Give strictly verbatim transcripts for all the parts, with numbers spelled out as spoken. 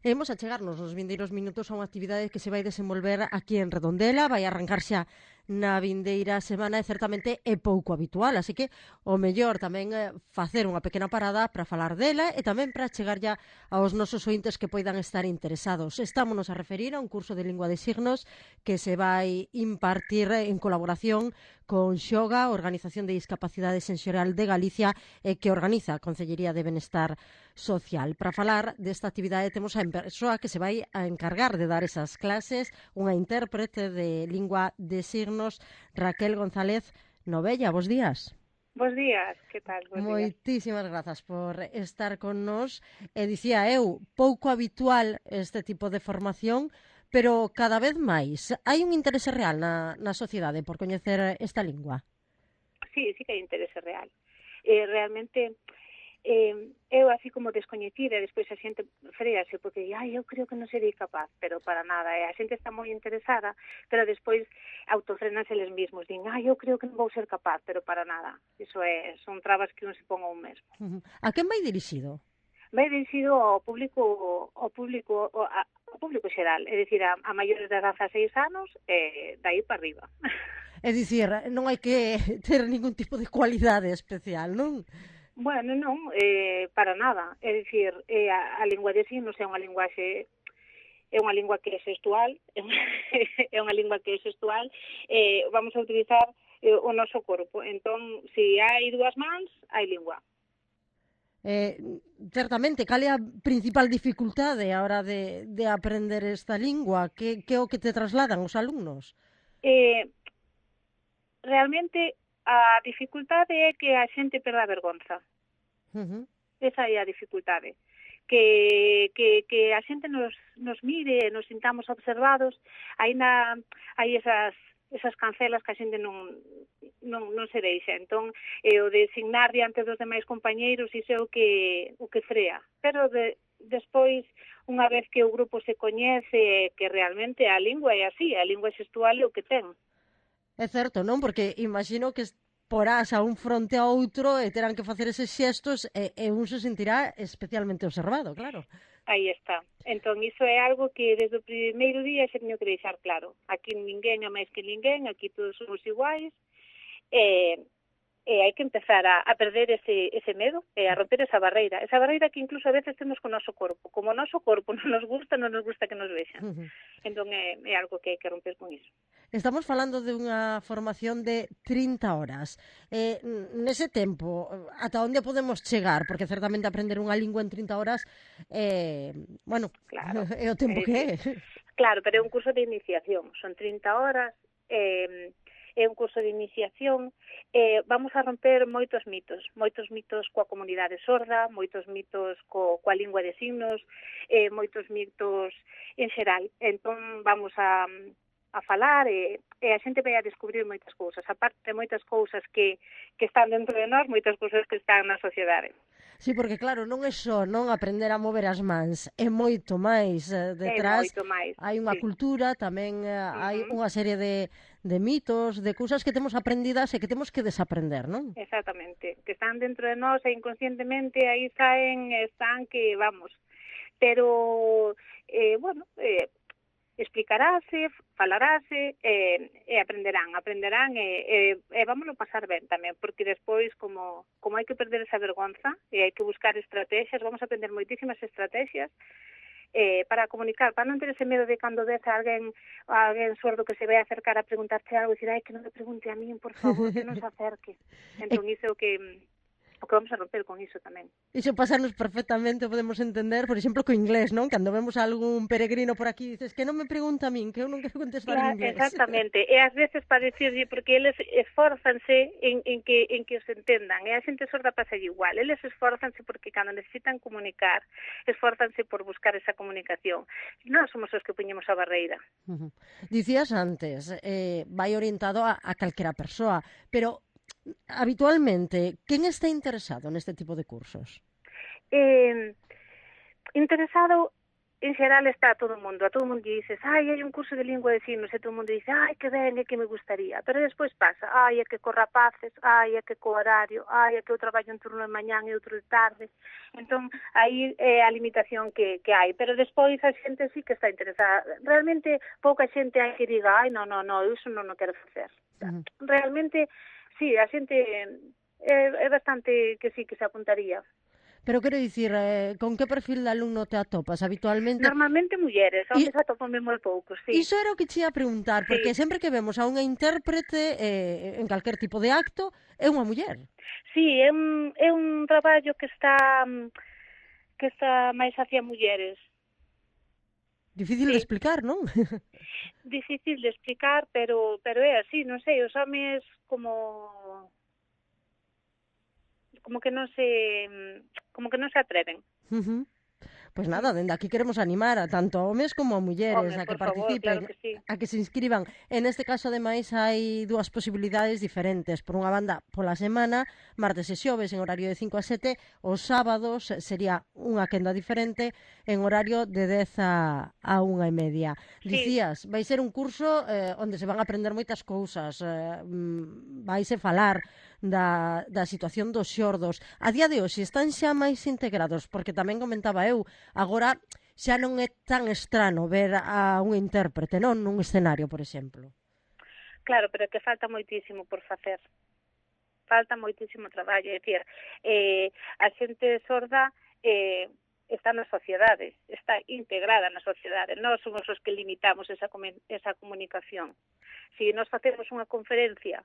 E imos a chegarnos nos vindeiros minutos a unha actividade que se vai desenvolver aquí en Redondela, vai arrancar xa na vindeira semana e certamente é pouco habitual, así que o mellor tamén é facer unha pequena parada para falar dela e tamén para chegar ya aos nosos ointes que poidan estar interesados. Estámonos a referir a un curso de lingua de signos que se vai impartir en colaboración con Xoga, Organización de Discapacidade Sensorial de Galicia, e que organiza a Consellería de Benestar Social. Para falar desta actividade temos a persoa que se vai a encargar de dar esas clases, unha intérprete de lingua de signos, Raquel González Novella. Bos días. Bos días, que tal? Bos días. Moitísimas grazas por estar con nós. E dicía eu, pouco habitual este tipo de formación, pero cada vez máis. Hai un interese real na, na sociedade por coñecer esta lingua? Sí, sí que hai interese real. Eh, realmente, eh, eu así como descoñecida, despois a xente frease, porque ai, eu creo que non serei capaz, pero para nada. Eh, a xente está moi interesada, pero despois autofrenanse eles mesmos. Din, ai, eu creo que non vou ser capaz, pero para nada. Iso é, son trabas que non se pon a un mesmo. Uh -huh. A quen vai dirixido? Vai dirixido ao público, ao público, ao público xeral, é dicir, a, a maiores de dezaseis anos e dai para arriba. É dicir, non hai que ter ningún tipo de cualidade especial, non? Bueno, non, eh, para nada. É dicir, eh, a, a lingua de signos é unha linguaxe, é unha lingua que é xestual, é unha, é unha lingua que é xestual, eh, vamos a utilizar eh, o noso corpo. Entón, se hai dúas mans, hai lingua. Eh, certamente, cal é a principal dificultade a hora de, de aprender esta lingua? Que, que é o que te trasladan os alumnos? Eh, realmente, a dificultade é que a xente perda a vergonza. Uh -huh. Esa é a dificultade. Que, que, que a xente nos, nos mire, nos sintamos observados, aínda hai esas, esas cancelas que a xente non, non, non se deixa. Entón, eh, o de signar diante dos demais compañeiros, iso é o que, o que frea. Pero de, despois, unha vez que o grupo se coñece, que realmente a lingua é así, a lingua xestual é o que ten. É certo, non? Porque imagino que porás a un fronte a outro e terán que facer eses xestos e, e un se sentirá especialmente observado, claro. Aí está. Entón, iso é algo que desde o primeiro día xa teño que deixar claro. Aquí ninguén é máis que ninguén, aquí todos somos iguais, e, e hai que empezar a, a perder ese, ese medo e a romper esa barreira. Esa barreira que incluso a veces temos con o noso corpo. Como o noso corpo non nos gusta, non nos gusta que nos vexan. Uh -huh. Entón, é, é algo que hai que romper con iso. Estamos falando de unha formación de trinta horas. Eh, nese tempo, ata onde podemos chegar? Porque certamente aprender unha lingua en trinta horas eh, bueno, claro, é o tempo eh, que é. Claro, pero é un curso de iniciación. Son trinta horas, eh, é un curso de iniciación. Eh, vamos a romper moitos mitos. Moitos mitos coa comunidade sorda, moitos mitos co, coa lingua de signos, eh, moitos mitos en xeral. Entón, vamos a... a falar e, e a xente vai a descubrir moitas cousas, aparte de moitas cousas que, que están dentro de nós, moitas cousas que están na sociedade. Sí, porque claro, non é só non aprender a mover as mans, é moito máis eh, detrás. É moito máis. Hai unha sí. cultura, tamén eh, uh -huh. hai unha serie de, de mitos, de cousas que temos aprendidas e que temos que desaprender, non? Exactamente, que están dentro de nós e inconscientemente aí saen, están que, vamos, pero, eh, bueno, eh, explicarase, falarase e, e aprenderán, aprenderán e, e, e vámonos pasar ben tamén, porque despois como, como hai que perder esa vergonza e hai que buscar estrategias, vamos a aprender moitísimas estrategias eh, para comunicar, para non ter ese medo de cando ves a alguén, a alguén sordo que se vai acercar a preguntarte algo e dicir, ai, que non me pregunte a min, por favor, que non se acerque. Entón, iso é o que... o que vamos a romper con iso tamén. Iso pasarnos perfectamente, podemos entender, por exemplo, co inglés, non? Cando vemos a algún peregrino por aquí, dices que non me pregunta a min, que eu non quero contestar claro, en inglés. Exactamente, e ás veces para dicirlle, porque eles esforzanse en, en, que, en que os entendan, e a xente sorda pasa igual, eles esforzanse porque cando necesitan comunicar, esforzanse por buscar esa comunicación. Non somos os que poñemos a barreira. Uh -huh. Dicías antes, eh, vai orientado a, a calquera persoa, pero habitualmente, quen está interesado neste tipo de cursos? Eh, interesado en xeral está todo o mundo, a todo o mundo dices, ai, hai un curso de lingua de signos, e todo o mundo dice, ai, que ben, é que me gustaría, pero despois pasa, ai, é que co rapaces, ai, é que co horario, ai, é que eu traballo un turno de mañán e outro de tarde, entón, aí é a limitación que, que hai, pero despois a xente sí que está interesada, realmente pouca xente hai que diga, ai, non, non, non, iso non o quero facer, Uh-huh. realmente, sí, a xente é, é bastante que sí, que se apuntaría. Pero quero dicir, eh, con que perfil de alumno te atopas habitualmente? Normalmente mulleres, E homes atopanme moi poucos, sí. iso era o que che ia a preguntar, Sí, porque sempre que vemos a unha intérprete eh, en calquer tipo de acto, é unha muller. sí, é un, é un traballo que está que está máis hacia mulleres. Difícil de Sí, explicar, non? difícil de explicar, pero pero é así, non sei, os homes como como que non se como que non se atreven. Uh-huh. Pois nada, dende aquí queremos animar a tanto a homes como a mulleres Home, a que por favor, claro participen, que sí. a que se inscriban. En este caso, ademais, hai dúas posibilidades diferentes. Por unha banda, pola semana, martes e xoves en horario de cinco a sete, os sábados sería unha quenda diferente en horario de dez a, a unha e media. Sí, Dicías, vai ser un curso eh, onde se van a aprender moitas cousas, eh, vaise falar da, da situación dos xordos. A día de hoxe están xa máis integrados, porque tamén comentaba eu, agora xa non é tan estrano ver a un intérprete, non? Nun escenario, por exemplo. claro, pero é que falta moitísimo por facer. Falta moitísimo traballo, é dicir, eh, a xente sorda eh, está na sociedade, está integrada na sociedade. Nós somos os que limitamos esa, esa comunicación. Se nós facemos unha conferencia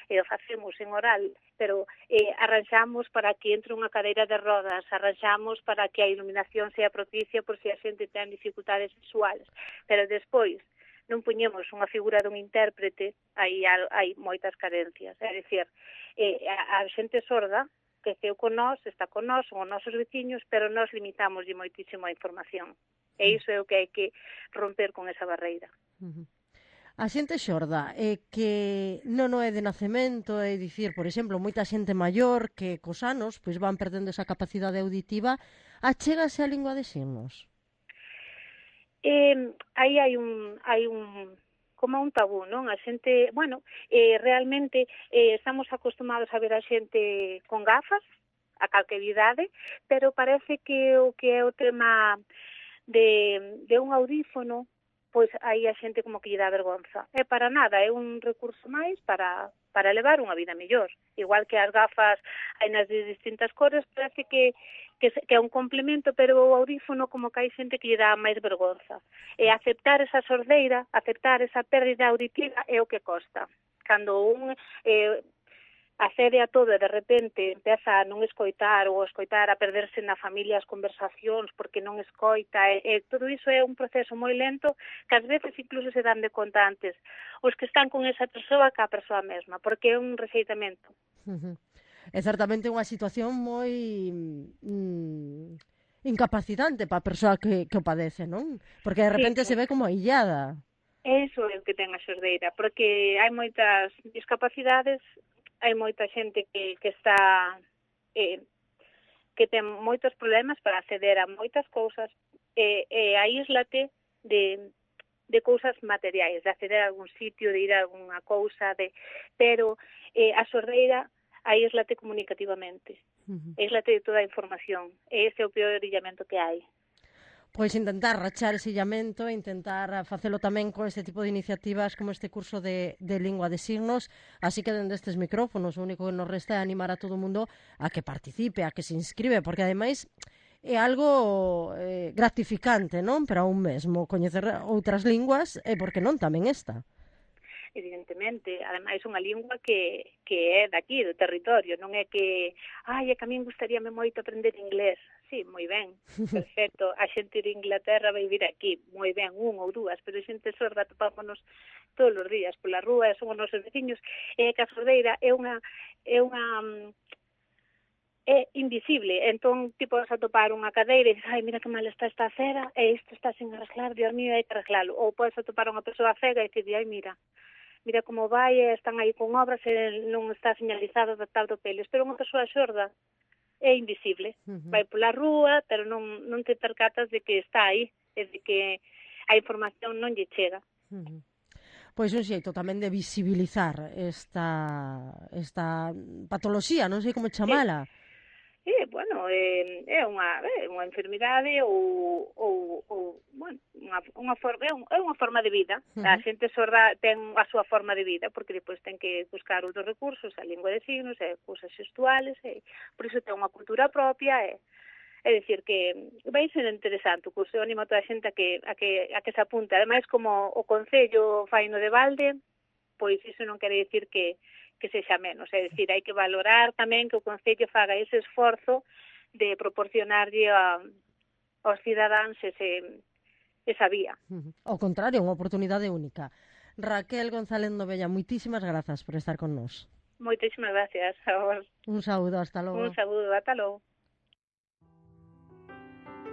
e o facemos en oral, pero eh, arranxamos para que entre unha cadeira de rodas, arranxamos para que a iluminación sea propicia por se a xente ten dificultades visuales, pero despois non puñemos unha figura dun intérprete, aí hai moitas carencias, é dicir, eh, a, a xente sorda creceu con nós, está con nós, son os nosos veciños, pero nós limitamos moitísimo a información, e iso é o que hai que romper con esa barreira. Uh-huh. A xente xorda é que non o é de nacemento, é dicir, por exemplo, moita xente maior que cos anos pois van perdendo esa capacidade auditiva, achégase a lingua de signos. Eh, aí hai un hai un como un tabú, non? A xente, bueno, eh, realmente eh, estamos acostumados a ver a xente con gafas a calquer idade, pero parece que o que é o tema de, de un audífono, pois aí a xente como que lle dá vergonza. É para nada, é un recurso máis para, para levar unha vida mellor. Igual que as gafas hai nas de distintas cores, parece que, que, que é un complemento, pero o audífono como que hai xente que lle dá máis vergonza. E aceptar esa sordeira, aceptar esa pérdida auditiva é o que costa. Cando un eh, accede a todo e de repente empeza a non escoitar ou a escoitar a perderse na familia as conversacións porque non escoita e, e todo iso é un proceso moi lento que ás veces incluso se dan de conta antes os que están con esa persoa que a persoa mesma, porque é un rexeitamento. Uh-huh. É certamente unha situación moi mm, incapacitante para a persoa que, que o padece, non? Porque de repente Sí, se ve como illada. eso é o que ten a xordeira, porque hai moitas discapacidades, hai moita xente que, que está eh, que ten moitos problemas para acceder a moitas cousas e, e aíslate de, de cousas materiais, de acceder a algún sitio, de ir a alguna cousa, de, pero eh, a sordeira aíslate comunicativamente, uh-huh. aíslate de toda a información, e ese é o peor illamento que hai. Pois intentar rachar ese illamento, intentar facelo tamén con este tipo de iniciativas como este curso de, de lingua de signos, así que dende estes micrófonos o único que nos resta é animar a todo o mundo a que participe, a que se inscribe, porque ademais é algo eh, gratificante, non? Para un mesmo coñecer outras linguas e porque non tamén esta. Evidentemente, ademais unha lingua que, que é daqui, do territorio, non é que, ai, é que a min gustaríame moito aprender inglés. Sí, moi ben, perfecto, a xente de Inglaterra vai vir aquí, moi ben, un ou dúas, pero a xente sorda topámonos todos os días pola rúa, son os nosos veciños, e que a sordeira é unha, é unha, é invisible, entón ti podes atopar unha cadeira e dices, ai, mira que mal está esta acera, e isto está sin arreglar, Dios mío, hai que arreglalo, ou podes atopar unha persoa cega e dices, ai, mira, mira como vai, están aí con obras e non está señalizado adaptado peles, pero unha persoa xorda é invisible, uh-huh. vai pola rúa, pero non, non te percatas de que está aí. e de que a información non lle chega. Uh-huh. Pois un xeito tamén de visibilizar esta, esta patoloxía, non sei como chamala. E, e bueno, é, é unha é unha enfermidade ou, ou, ou bueno, unha, unha forma, é, un, é unha forma de vida. Uh-huh. A xente sorda ten a súa forma de vida, porque depois ten que buscar outros recursos, a lingua de signos, e cousas xestuales, e por iso ten unha cultura propia, e é dicir que vai ser interesante o curso, eu animo a toda a xente a que, a que, a que se apunte. Ademais, como o Concello fai no de balde, pois iso non quere dicir que, que sexa menos, é dicir, hai que valorar tamén que o Concello faga ese esforzo de proporcionarlle a, aos cidadáns ese, esa vía. Ao contrario, unha oportunidade única. Raquel González Novella, moitísimas grazas por estar con nós. Moitísimas gracias a vos. Un saúdo, hasta logo. Un saúdo, ata logo.